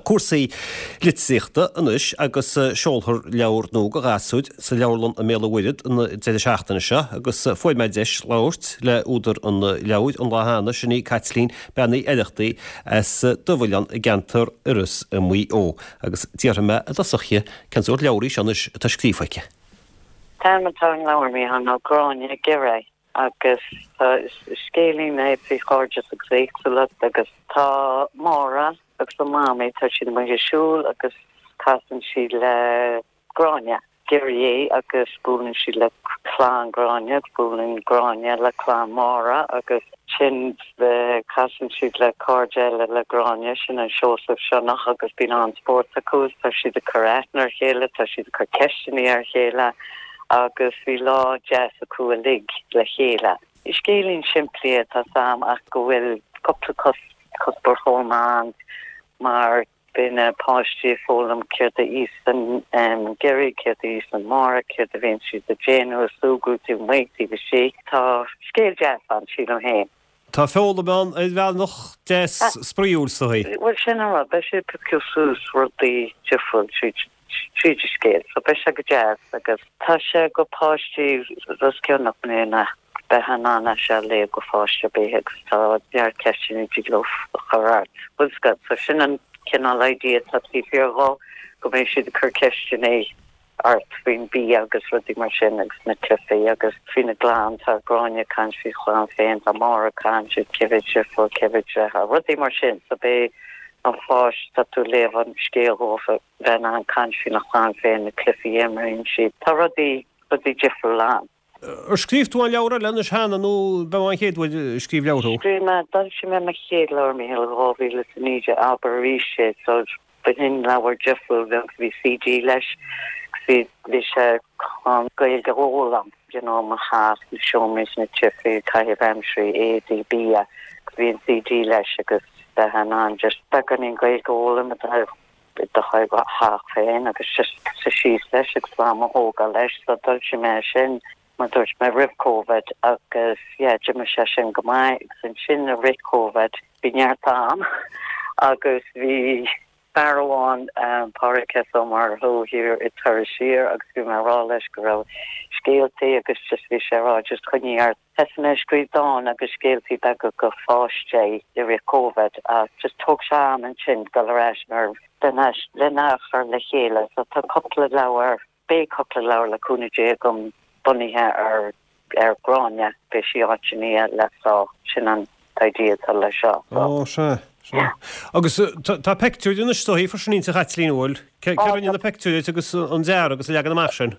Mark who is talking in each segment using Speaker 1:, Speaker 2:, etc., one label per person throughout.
Speaker 1: Cúrsaí litríochta anois agus seolfar leabhar nua do ghasúir sa leabharlann i mBéal an Mhuirthead an deireadh seachtaine seo agus fuair mé deis labhairt le údar an leabhair an lá cheana, sin í Caitlín Bean Uí Oireachtaigh as Dubh-Oileán i gceantar Iorrais i Maigh Eo agus d'fhiafraigh mé i dtosach dhi cén sórt leabhar í seo anois atá scríofa aici.
Speaker 2: An t-ainm atá ar an leabhar, Mícheál, ná Gráinne ag Giorria. Agus tá scéilín é faoi chairdeas agus éagsúlacht agus tá Máire agus a mamaí, tá siad amuigh ag siúl agus casann siad le Gráinne, giorria agus buaileann siad le clann Gráinne agus buaileann Gráinne le clann Máire agus sin casann siad le cairde eile le Gráinne, sin an Seosamh Sionnach agus bíonn an-spórt acu agus tá siad ag cur aithne ar chéile, tá siad ag cur ceisteanna ar chéile. agus bhí lá deas acu uilig le chéile. Scéilín simplí é tá 's a'm ach go bhfuil cúpla cuspóir chomh maith ann mar beidh na páistí ag foghlaim céard a íosann giorria, céard a íosann Máire, céard a bhíonn siad ag déanamh, ag súgradh taobh amuigh, taobh istigh. Tá scéal deas ann, sílim féin.
Speaker 1: Tá foghlaim ann ar bhealach deas spraíúil is dóigh.
Speaker 2: Bhuel sin an rud, beidh siad ag piocadh suas rudaí difriúil tríd tríd an scéal so beidh sé go deas agus tá sé go páistí os cionn 8 mbliana, bheifeá in ann é seo a léamh go pháiste ar bith agus tá neart ceisteanna a dtig leo a chur ort. Bhfuil 's agat, so sin an cineál idea atá taobh thiar dhó, go mbeidh siad ag cur ceisteanna ort faoin bia agus rudaí mar sin agus na cluichí agus faoina gclann, tá Gráinne ag caint faoi chlann féin, tá Máire ag caint faoi cé mhéad deirfiúr, cé mhéad deartháir, rudaí mar sin. So beidh an pháiste, tá tú ag léamh an scéal dhófa, bheith in ann caint faoina chlann féin, na cluichí a imríonn siad. Tá rudaí, rudaí difriúla ann.
Speaker 1: Ar scríobh tú aon leabhar eile anois cheana nó ab é an chéad uair a scríobh leabhar thú?
Speaker 2: Scríobh mé, d'fhoilsigh mé mo chéad leabhar, Mícheál, i 2019, Abair Arís É, so b'shin leabhar difriúil, bheag, bhí CD leis, bhí, bhí sé chun Gaeilge a fhoghlaim, you know, mo theach, na seomraí, na cluichí, caitheamh aimsire, éadaí, bia, agus bhí an CD leis agus bheith in ann just beagáinín Gaeilge a fhoghlaim i do theach féin agus just suí síos leis agus am a thógáil leis, so d'fhoilsigh mé sin mar dúirt mé roimh Covid agus yeah d'imigh sé sin go maith agus ansin i rith Covid bhí neart am agus bhí fear amháin, Pádraig S. Ó Murchú thiar i Turas Siar agus bhí mé ag rá leis go raibh scéaltaí agus just bhí sé ag rá just coinnigh ort. Thosaigh mé ag scríobh dán agus scéaltaí beaga go pháistí i rith Covid ach just thóg sé am ansin dul ar ais mar lena chur le chéile so tá cúpla leabhar, beidh cúpla leabhar le cúnamh Dé agam bunaithe ar ar Gráinne, beidh sí áiteanna eile so sin an idea atá
Speaker 1: leis seo so. Ó sea, sea. Agus tá peictiúir anois is dóigh freisin inti a Chaitlín, an bhfuil? Cé rinne na peictiúir duit agus an dearadh agus an leagan amach sin?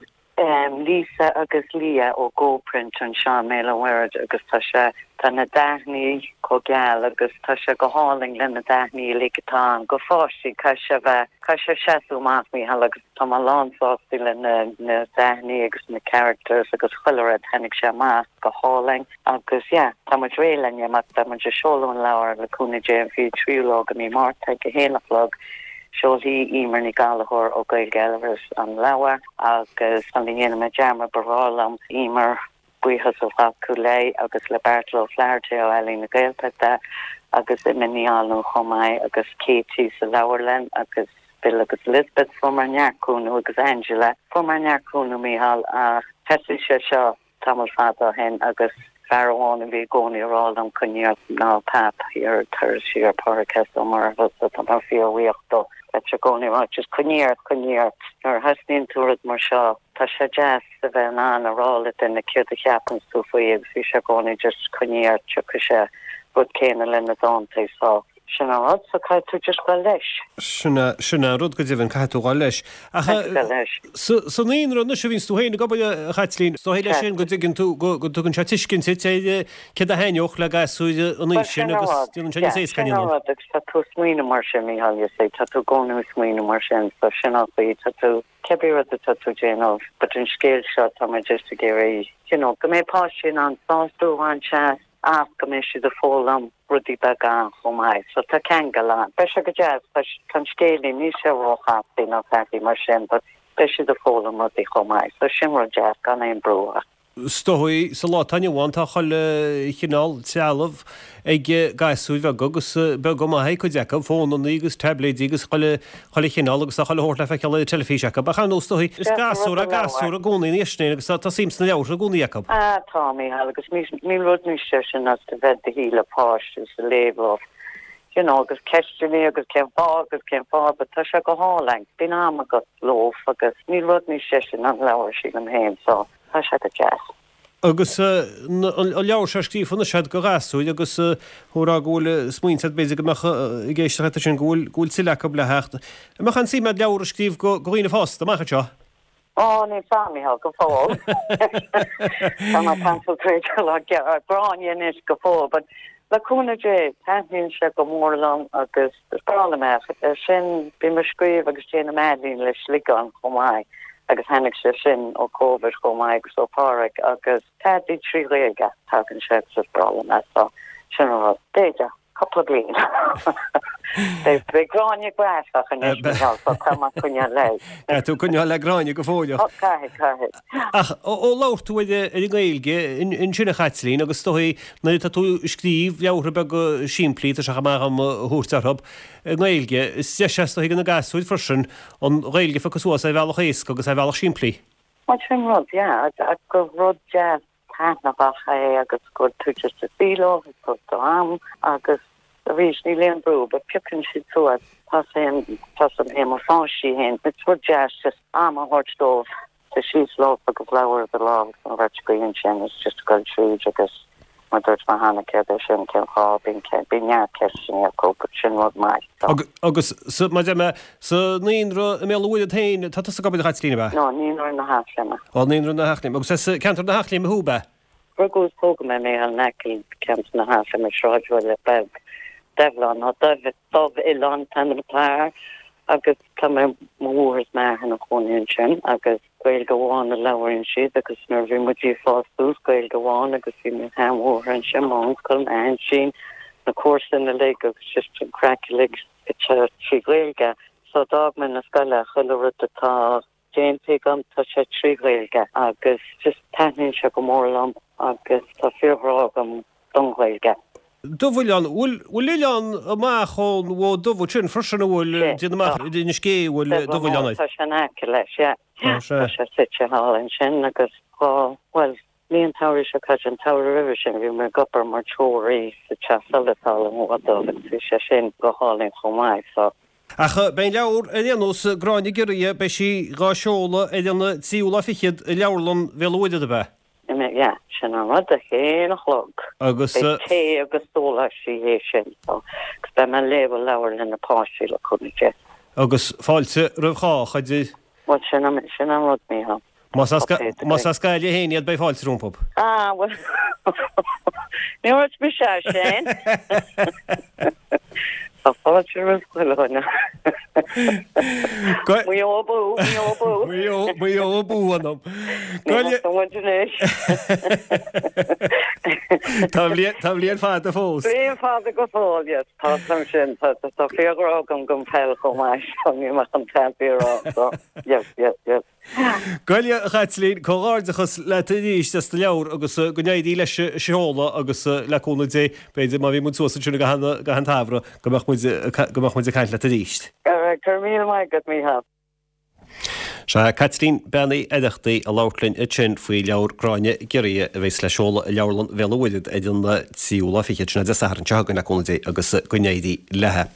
Speaker 2: Lisa agus Leah ó Go Print anseo i mBéal an Mhuirthead agus tá sé, tá na dathannaí chomh geal agus tá sé go hálainn le na dathannaí uilig atá ann go pháistí, caithfidh sé bheith, caithfidh sé seasamh amach Mícheál agus tá mé lán sásta le na na dathannaí agus na characters agus chuile rud, tháinig sé amach go hálainn agus yeah tá muid réidh le n-imeacht, beidh muid ag seoladh an leabhar le cúnamh Dé an 23ú lá de mí Márta ag a haon a chlog. Seolfaidh Emer Ní Ghallchóir ó Gaeilge Iorrais an leabhar agus sula ndéanfaidh mé dearmad ba bhreá liom Emer buíochas a ghlacadh léi agus le Beairtle Ó Flatharta ó Ealaín na Gaeltachta agus Emma Ní Fhallúin chomh maith agus Katie sa leabharlann agus Bill agus Elizabeth fuaireamar neart cúnamh agus Angela fuaireamar neart cúnamh Mícheál ach thosaigh sé seo tamall fada ó shin agus fear amháin a bhí i gcónaí ag rá liom coinnigh ort ná Pap thiar ag Turas Siar, Pádraig S. Ó Murchú so tá mé fíorbhuíoch dó. Bheadh sé i gcónaí ag rá just coinnigh ort, coinnigh ort. Nuair a thosnaíonn tú rud mar seo tá sé deas a bheith in ann a rá le duine céard a cheapanns tú faoi agus bhí sé i gcónaí just coinnigh ort, tiocfaidh sé rud céanna le na dántaí so. Sin an rud, so caithfidh tú just dul leis.
Speaker 1: Sin é, sin é an rud go deimhin, caithfidh tú dhul leis. Ach
Speaker 2: Caithfidh tú dul leis.
Speaker 1: sa, sa naíonra anois a bhíonns tú féin ag obair, a Chaitlín, is dóigh leis sin go dtuigeann tú, go, go dtugann sé tuiscint duit ar céard a thaitneodh le gasúir an
Speaker 2: Bhuel,
Speaker 1: aois sin
Speaker 2: sin an
Speaker 1: agus
Speaker 2: rud,
Speaker 1: déanann sé
Speaker 2: yeah,
Speaker 1: níos éasca
Speaker 2: sin an
Speaker 1: an
Speaker 2: rud agus tá tú ag smaoineamh mar sin, Mícheál, you see, tá tú i gcónaí ag smaoineamh mar sin, so sin an chaoi, tá tú, cibé rud atá tú ag déanamh, but an scéal seo, tá mé just ag iarraidh, you know, go mbeidh páistí in ann sásamh a bhaint as ach go mbeidh siad ag foghlaim rudaí beaga ann chomh maith. So tá ceangal ann. Beidh sé go deas, tá an scéilín, níl sé róchasta ná tada mar sin but beidh siad ag foghlaim rudaí chomh maith. So sin rud deas, gan aon brú ach.
Speaker 1: Is dóigh, sa lá atá inniu ann, tá chuile chineál trealamh ag gasúir bheaga agus beag go maith ag cuid acu, fónannaí agus taibléidí agus chuile chuile chineál agus tá chuile shórt le feiceáil ar an teilifís acu. Ach ar ndóigh, is dóigh, is gasúr é gasúr i gcónaí ina dhiaidh sin agus tá suim sna leabhartha i gcónaí acu.
Speaker 2: Ah, tá, Mícheál, agus níl rud níos deise ná a bheith i do shuí le páiste agus a léamh leo, you know, agus ceisteanna agus cén fáth agus cén fáth, but tá sé go hálainn, bíonn am agat leo agus níl rud níos deise ná an leabhar, sílim féin, so. Tá sé go deas.
Speaker 1: Agus an leabhar seo scríofa anois agat do ghasúir agus thú ag rá go bhfuil smaointe agat b'fhéidir go mbeadh ag éisteacht leat ansin go bhfuil go bhfuil tuilleadh acu le theacht. An mbeadh aon suim agat leabhar a scríobh do dhaoine fásta amach anseo?
Speaker 2: Ó, níl 's a'm, Micheál, go fóill. Tá mé ag concentrate ar Gráinne anois go fóill, but le cúnamh Dé, taitníonn sé go mór liom agus is breá liom é. Sin, bím ag scríobh agus déanaim ealaín le sliogán chomh maith agus tháinig sé sin ó Covid chomh maith agus ó Phádraig agus Peaidí 3 Ghaeilge, tagann sé agus is breá liom é so sin an rud. B'fhéidir, cúpla bliain. Beidh Gráinne grafach anois Micheál so caithfidh mé coinneáil léi.
Speaker 1: Caithfidh tú coinneáil le Gráinne go fóill.
Speaker 2: Ó caithfidh, caithfidh.
Speaker 1: Ach ó labhair tú ar an nGaeilge ansin a Chaitlín agus is dóigh nuair atá tú ag scríobh leabhartha beaga simplí, tá sé chomh maith dhom a thabhairt orthu, i nGaeilge, is deis é is dóigh do na gasúir freisin an Ghaeilge a phiocadh suas ar bhealach éasca agus ar bhealach simplí.
Speaker 2: Bhuel sin rud, yeah, gur rud deas taitneamhach é agus go bhfuil tú just ag suí leo ag tabhairt do am agus arís níl aon brú but piocann siad suas, tá 's a'm féin mo pháistí féin, it's rud deas just am a thabhairt dóibh suí síos leo agus leabhar i do lámh agus an bheirt againn ansin is just ag goil tríd agus mar dúirt mé cheana céard é sin cén fáth bíonn bíonn neart ceisteanna acu but sin rud maith
Speaker 1: so. Agus sa mar a deir mé sa naíonra i mBéal an Mhuirthead féin tá tusa ag obair a Chaitlín ab ea?
Speaker 2: No, naíonra na hEachléime.
Speaker 1: Ó naíonra na hEachléime. Agus as ceantar na hEachléime thú ab ea?
Speaker 2: Rugadh is tógadh mé in aice ceantar na hEachléime sráidbhaile beag Doibhleán nó Dubh Dubh Oileán an t-ainm atá air agus tá mé mo mháthair is m'athair ina chónaí ansin agus Gaeilge amháin a labhraíonn siad agus nuair a bhí muid ag fás suas, Gaeilge amháin agus bhí mo sheanmháthair ansin, m'uncail, m'aintín, na comharsana uilig agus just an craic uilig trí Ghaeilge. So d'fhág mé na scoile, chuile rud atá déanta agam tá sé trí Ghaeilge agus just taitníonn sé go mór liom agus tá fíorghrá agam don Ghaeilge.
Speaker 1: Dubh Oileán, bhfuil, bhfuil oileán amach ón Bhfód Dubh ansin freisin, an bhfuil, déanaim amach ar Inis Gé, an bhfuil Dubh Oileán
Speaker 2: air? Tá sé in aice leis, yeah. Tá sé. Tá sé suite thall ansin agus dhá, bhuel, ní an tsamhradh seo caite, an tsamhradh roimhe sin, bhí mé ag obair mar treoraí sa teach solais thall an Bhfód Dubh agus bhí sé sin go hálainn chomh maith, so.
Speaker 1: Ach beidh an leabhar ar aon nós, Gráinne Giorria, beidh sí dhá seoladh ar an tríú lá fichead i Leabharlann Bhéal an Mhuirthead, ab ea?
Speaker 2: Yeah, sin an rud, a haon a chlog.
Speaker 1: Agus.
Speaker 2: Beidh tae agus sóláistí théis sin, so, agus beidh mé ag léamh an leabhair le na páistí le cúnamh Dé.
Speaker 1: Agus fáilte roimh chách, a deir.
Speaker 2: Bhuel, sin an, sin an rud, Mícheál.
Speaker 1: Más as, más as Gaillimh féin iad, beidh fáilte rompu.
Speaker 2: Ah, bhuel, ní dúirt mise é sin. Tá fáilte roimh chuile dhuine. Maigh Eo abú, Maigh Eo abú.
Speaker 1: Maigh Eo, Maigh Eo abú, anam.
Speaker 2: Ní muid anois.
Speaker 1: Tá bliain, tá bliain fada fós.
Speaker 2: Bliain fada go fóill, yes. Tá san sin, tá tá fíorghrá agam don pheil chomh maith, so níl mé chun tada a rá, so yes, yes, yes.
Speaker 1: Gabh i leith, a Chaitlín, comhghairdeachas leat arís as do leabhar agus go n-éirí leis an seoladh agus le cúnamh Dé, b'fhéidir má bhí muid suas ansin i gcaitheamh an tsamhraidh go mbeadh muid go mbeadh muid ag caint leat arís.
Speaker 2: Alright, go raibh míle maith agat, Mícheál.
Speaker 1: Sea, Caitlín Bean Uí Oireachtaigh ag labhairt linn ansin faoi leabhar Gráinne Giorria a bheas le seoladh i Leabharlann Bhéal an Mhuirthead ar an tríú lá fichead, sin é Dé Sathairn seo chugainn le cúnamh Dé agus go n-éirí léi.